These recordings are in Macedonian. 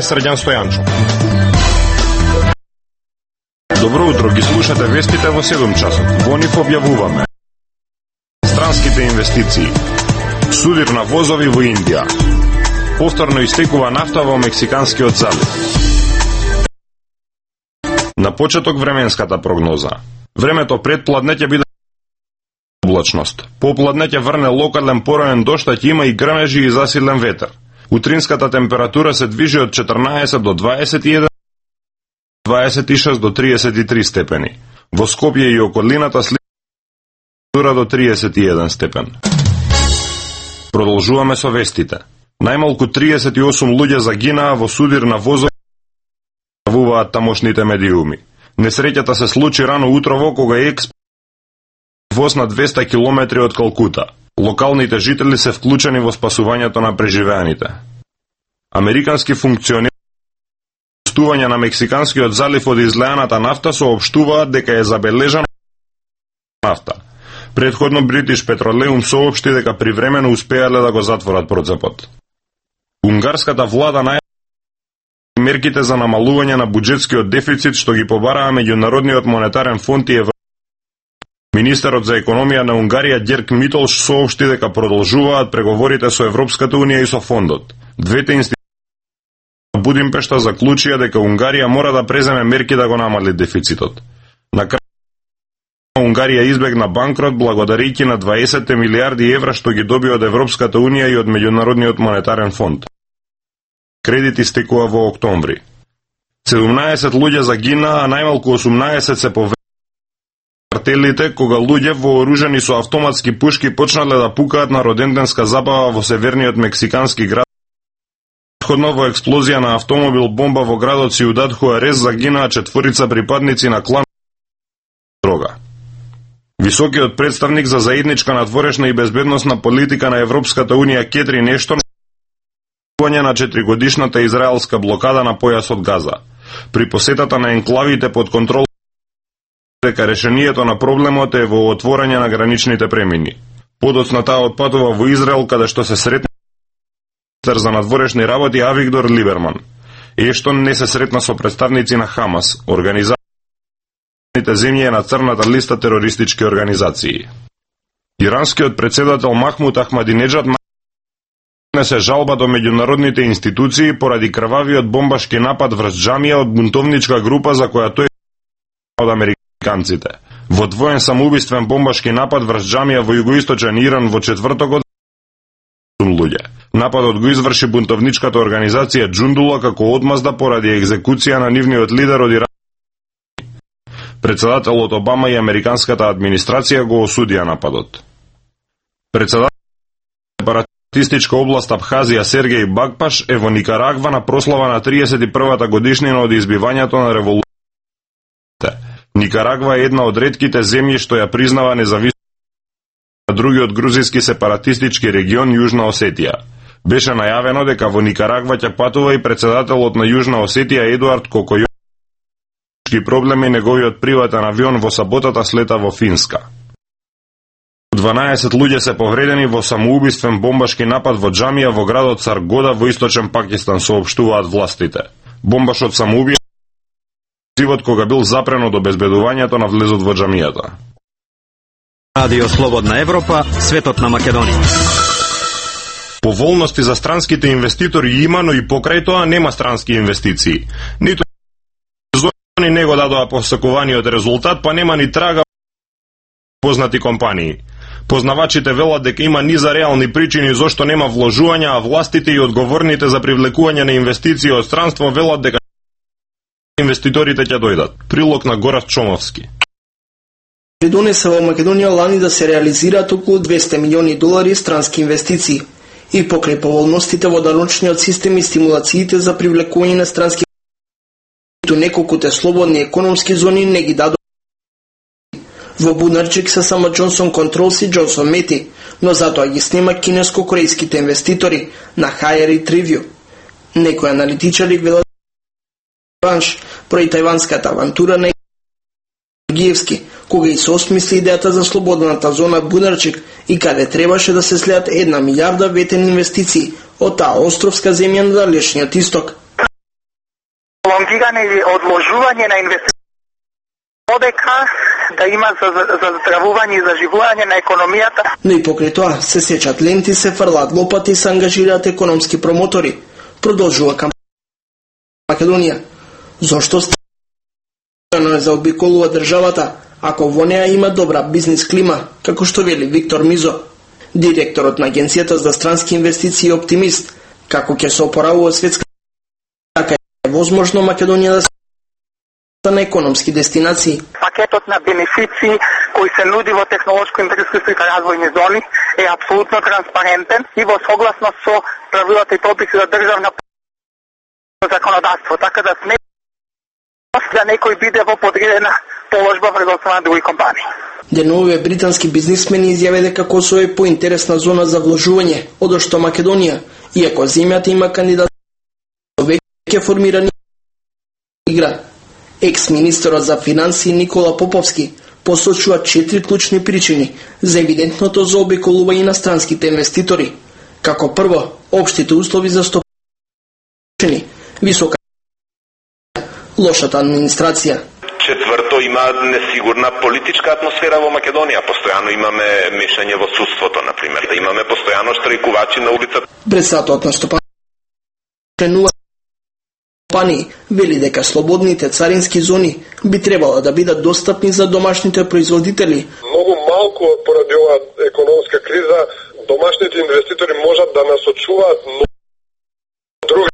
Срđan Стојанчо. Добро утро, ги слушате вестите во 7 часот. Во нив објавуваме странските инвестиции, судир на возови во Индија, повторно истекува нафта во Мексиканскиот залив. На почеток временската прогноза. Времето пред пладне ќе биде облачност. По пладне ќе врне локален пороен дожд, а ќе има и грмежи и засилен ветер. Утринската температура се движи од 14 до 21, 26 до 33 степени. Во Скопје и околината температура до 31 степен. Продолжуваме со вестите. Најмалку 38 луѓе загинаа во судир на возови, јавуваат тамошните медиуми. Несреќата се случи рано утрово кога воз на 200 километри од Калкута. Локалните жители се вклучени во спасувањето на преживеаните. Американски функционери пустување на Мексиканскиот залив од излеаната нафта соопштуваат дека е забележана нафта. Предходно British Petroleum соопшти дека привремено успеале да го затворат процепот. Унгарската влада најавила мерките за намалување на буџетскиот дефицит што ги побараа Меѓународниот монетарен фонд и Министерот за економија на Унгарија Ѓерк Митолш соопшти дека продолжуваат преговорите со Европската унија и со фондот. Двете институции на Будимпешта заклучија дека Унгарија мора да преземе мерки да го намали дефицитот. На крај Унгарија избегна банкрот благодарејќи на 20 милиарди евра што ги доби од Европската унија и од Меѓународниот монетарен фонд. Кредит истекува во октомври. 17 луѓе загинаа, а најмалку 18 се повредени картелите кога луѓе вооружени со автоматски пушки почнале да пукаат на роденденска забава во северниот мексикански град. Предходно во експлозија на автомобил бомба во градот Сиудад Хуарес загинаа 4 припадници на клан дрога. Високиот представник за заедничка надворешна и безбедносна политика на Европската унија Кетрин Ештон на 4-годишната израелска блокада на појасот Газа. При посетата на енклавите под контрол дека решението на проблемот е во отворање на граничните премини. Подоцна таа отпатува во Израел, каде што се сретна министер за надворешни работи Авигдор Либерман. Ештон не се сретна со представници на Хамас, организацијата земји е на црната листа терористички организации. Иранскиот председател Махмуд Ахмадинеджад се жалба до меѓународните институции поради крвавиот бомбашки напад врз џамија од бунтовничка група за која тој од американците. Во двоен самоубиствен бомбашки напад врз џамија во југоисточен Иран во четвртокот луѓе. Нападот го изврши бунтовничката организација Џундула како одмазда поради екзекуција на нивниот лидер од Иран. Председателот Обама и американската администрација го осудија нападот. Председателот сепаратистичка област Абхазија Сергеј Багпаш е во Никарагва на прослава на 31-та годишнина од избивањето на револуцијата. Никарагва е една од ретките земји што ја признава независност на другиот грузијски сепаратистички регион Јужна Осетија. Беше најавено дека во Никарагва ќе патува и председателот на Јужна Осетија Едуард Кокојовски проблеми неговиот приватен авион во саботата слета во Финска. 12 луѓе се повредени во самоубиствен бомбашки напад во џамија во градот Саргода во источен Пакистан, соопштуваат властите. Бомбашот самоубија живот кога бил запрен од обезбедувањето на влезот во џамијата. Радио Слободна Европа, светот на Македонија. Поволности за странските инвеститори има, но и покрај тоа нема странски инвестиции. Ниту зони не го дадоа посакуваниот резултат, па нема ни трага познати компании. Познавачите велат дека има низа реални причини зошто нема вложувања, а властите и одговорните за привлекување на инвестиции од странство велат дека инвеститорите ќе дојдат. Прилог на Горав Чомовски. Донесе во Македонија лани да се реализираат околу 200 милиони долари странски инвестиции. И покрај поволностите во даночниот систем и стимулациите за привлекување на странски неколкуте слободни економски зони не ги дадоа. Во Бунарчик се само Джонсон Контролс и Джонсон Мети, но затоа ги снема кинеско-корејските инвеститори на Higher Review. Некои аналитичари велат бранш прои тајванската авантура на Гиевски, кога и се осмисли идејата за слободната зона Бунарчик и каде требаше да се слеат 1 милиарда ветен инвестиции од таа островска земја на далечниот исток. Лонгиране или одложување на инвестиции одека да има за здравување и заживување на економијата. Но и покрај тоа се сечат ленти, се фрлаат лопати и се ангажираат економски промотори. Продолжува кампања Македонија. Зошто стано заобиколува државата, ако во неа има добра бизнис клима, како што вели Виктор Мизо, директорот на Агенцијата за странски инвестиции и оптимист, како ќе се опоравува светска, така е возможно Македонија да се на економски дестинации. Пакетот на бенефиции кои се нуди во технолошко-индустријските развојни зони е апсолутно транспарентен и во согласност со правилата и прописи за државна законодавство, така да сме да некој биде во подредена положба врз на други компании. Деновиве британски бизнисмени изјаве дека Косово е поинтересна зона за вложување, одошто Македонија, иако земјата има кандидат веќе формирани игра. Екс-министерот за финансии Никола Поповски посочува 4 клучни причини за евидентното заобиколување на странските инвеститори. Како прво, општите услови за стопани, висока лошата администрација. Четврто, има несигурна политичка атмосфера во Македонија. Постојано имаме мешање во судството, например. Имаме постојано штрајкувачи на улицата. Председателот на стопани вели дека слободните царински зони би требало да бидат достапни за домашните производители. Многу малку поради оваа економска криза домашните инвеститори можат да насочуваат други.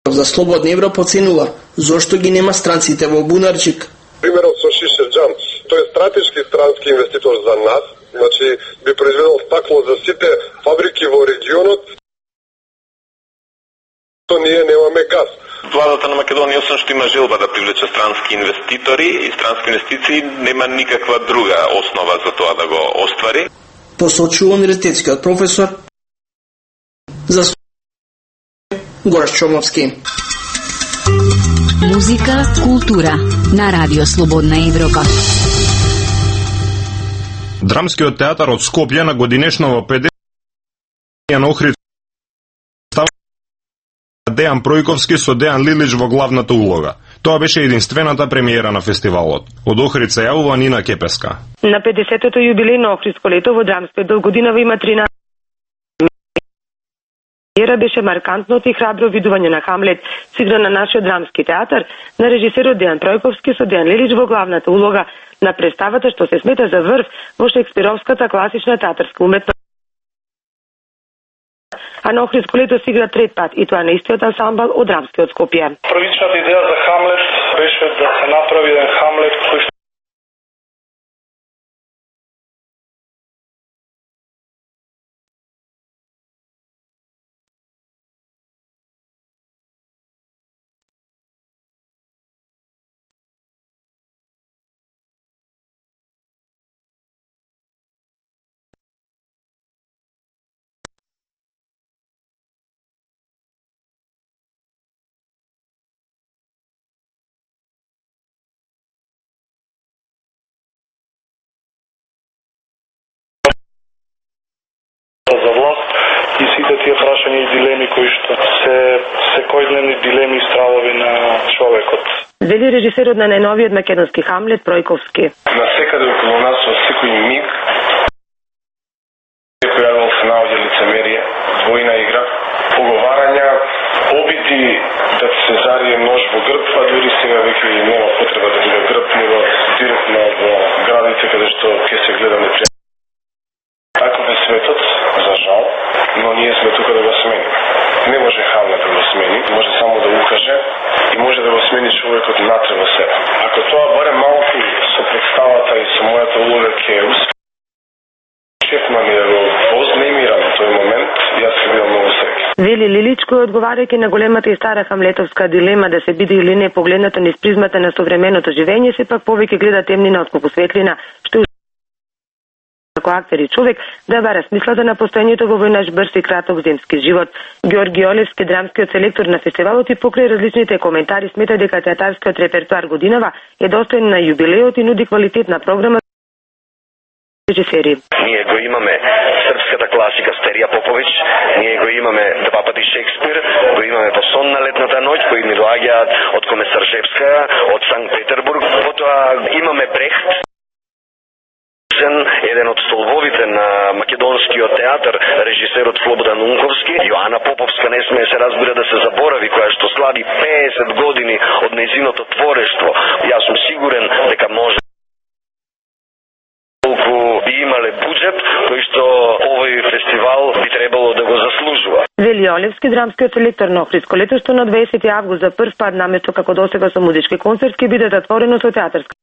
За Слободна Европа оценува зошто ги нема странците во Бунарчик. Примерот со Шишерџан, тој е стратешки странски инвеститор за нас, значи би произведел стакло за сите фабрики во регионот. То ние немаме газ. Владата на Македонија, освен што има желба да привлече странски инвеститори и странски инвестиции, нема никаква друга основа за тоа да го оствари. Посочува универзитетскиот професор за Гораш Чомовски. Музика, култура на Радио Слободна Европа. Драмскиот театар од Скопје на годинешново 50 на Охрид Дејан Пројковски со Дејан Лилич во главната улога. Тоа беше единствената премиера на фестивалот. Од Охрид се јавува Нина Кепеска. На 50-тото јубилејно Охридско лето во драмскиот дел годинава има 13 премиера беше маркантното и храбро видување на Хамлет, сигран на нашиот драмски театар, на режисерот Дејан Пројковски со Дејан Лилич во главната улога на представата што се смета за врв во шекспировската класична театарска уметност. А на Охридско лето се игра трет пат и тоа на истиот ансамбл од драмскиот Скопје. Првичната идеја за Хамлет беше да се направи еден Хамлет кој што за власт и сите тие прашања и дилеми кои што се секојдневни дилеми и стравови на човекот. Вели режисерот на најновиот македонски Хамлет Пројковски. Насекаде околу нас во секој миг која се наоѓа лицемерие, двојна игра, поговарања, обиди да се зарие нож во грб, а дури сега веќе нема потреба да биде грб, него директно во градите каде што ќе се гледа непријатно. Таков е светот, за жал, но ние сме тука да го сменим. Не може Хамлет да го смени, може само да укаже и може да го смени човекот натре во себе. Ако тоа барем малку со представата и со мојата улога ќе успее, чекма ми да го вознемирам тој момент, јас ќе бидам многу среќен. Вели Лилич, кој одговарајќи на големата и стара хамлетовска дилема да се биде или не погледнато низ призмата на современото живење, сепак повеќе гледа темнина отколку светлина, што како актер и човек да бара смислата на постоењето во војнаш брз и краток земски живот. Георги Олевски, драмскиот селектор на фестивалот, и покрај различните коментари смета дека театарскиот репертоар годинава е достоен на јубилеот и нуди квалитетна програма режисери. Ние го имаме српската класика Стерија Попович, ние го имаме два пати Шекспир, го имаме во Сон на летната ноќ, кои ни доаѓаат од Комисаржевская, од Санкт Петербург. Потоа имаме Брехт, еден од столбовите на македонскиот театар, режисерот Слободан Унковски. Јоана Поповска не смее се разбира да се заборави, која што слави 50 години од нејзиното творештво. Јас сум сигурен дека може колку би имале буџет, кој што овој фестивал би требало да го заслужува. Вели Олевски, драмскиот селектор на Охридско летошто на 20 август за прв пат наместо како досега со музички концерт ќе биде затворено со театарски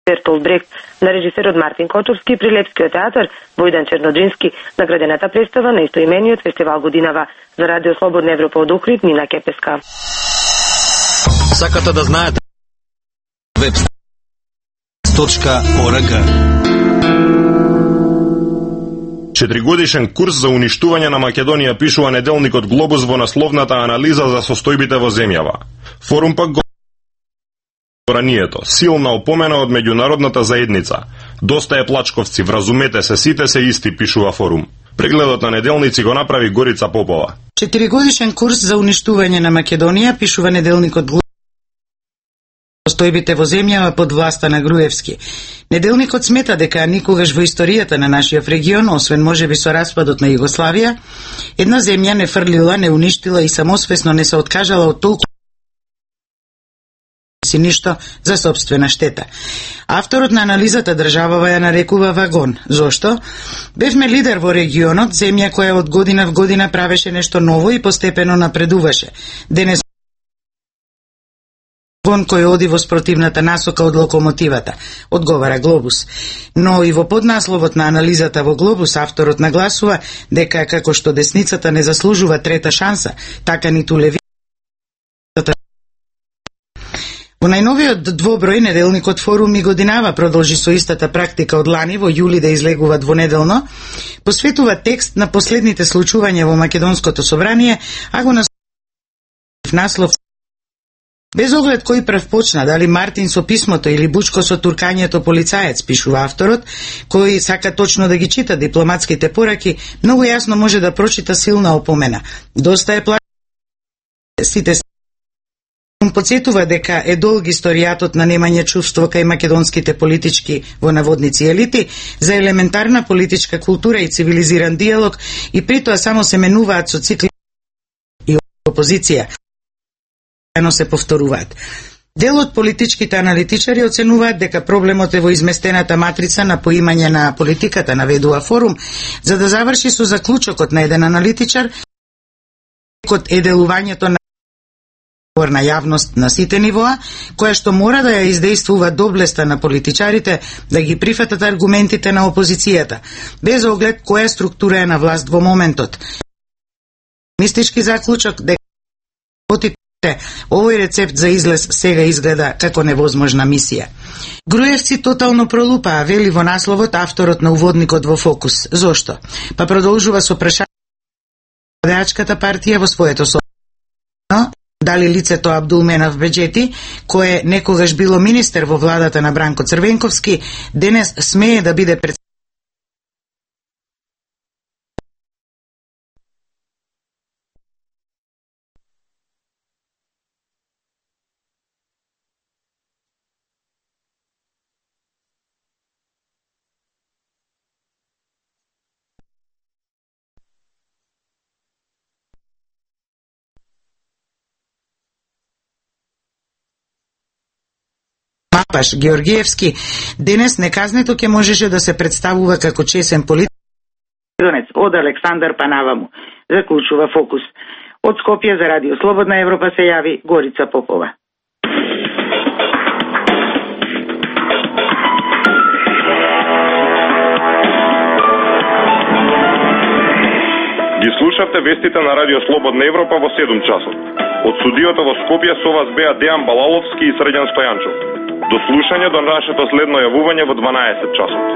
Бертолд Брехт на режисерот Мартин Кочовски при Лепскиот театар Војдан Черноџински, наградената представа на истоимениот фестивал годинава. За Радио Слободна Европа од Охрид, Нина Кепеска. Сакате да знаете web.org. 4-годишен курс за уништување на Македонија, пишува неделникот Глобус во насловната анализа за состојбите во земјава. Форум пак го силна опомена од меѓународната заедница. Доста е плачковци, вразумете се, сите се исти, пишува Форум. Прегледот на неделници го направи Горица Попова. 4-годишен курс за уништување на Македонија, пишува неделникот состојбите во земјава под власта на Груевски. Неделникот смета дека никогаш во историјата на нашиот регион, освен можеби со распадот на Југославија, една земја не фрлила, не уништила и самосвесно не се откажала од толку си ништо за собствена штета. Авторот на анализата државава ја нарекува вагон. Зошто? Бевме лидер во регионот, земја која од година в година правеше нешто ново и постепено напредуваше. Денес вагон кој оди во спротивната насока од локомотивата, одговара Глобус. Но и во поднасловот на анализата во Глобус авторот нагласува дека како што десницата не заслужува трета шанса, така ниту левицата. Во најновиот двоброј неделникот Форум и годинава продолжи со истата практика од лани во јули да излегува двонеделно, посветува текст на последните случувања во Македонското собрание, а го наслов без оглед кој прв почна, дали Мартин со писмото или Бучко со туркањето полицаец, пишува авторот, кој сака точно да ги чита дипломатските пораки, многу јасно може да прочита силна опомена. Доста е сите подсетува дека е долг историјатот на немање чувство кај македонските политички во наводници елити за елементарна политичка култура и цивилизиран диалог и притоа само се менуваат со цикли и опозиција. Ено се повторуваат. Дел од политичките аналитичари оценуваат дека проблемот е во изместената матрица на поимање на политиката, наведува Форум, за да заврши со заклучокот на еден аналитичар, код е делувањето на јавност на сите нивоа, која што мора да ја издействува доблеста на политичарите да ги прифатат аргументите на опозицијата, без оглед која структура е на власт во моментот. Мистички заклучок дека овој рецепт за излез сега изгледа како невозможна мисија. Груевци тотално пролупаа, вели во насловот авторот на уводникот во Фокус. Зошто? Па продолжува со прашање Радеачката партија во своето дали лицето Абдулменав Беџети, кое некогаш било министер во владата на Бранко Црвенковски, денес смее да биде Мапаш Георгиевски, денес неказнето ќе можеше да се представува како чесен политик од Александар Панаваму, заклучува Фокус. Од Скопје за Радио Слободна Европа се јави Горица Попова. Ги слушавте вестите на Радио Слободна Европа во 7 часот. Од студиото во Скопје со вас беа Дејан Балаловски и Срđan Стојанчов. До слушање до нашето следно јавување во 12 часот.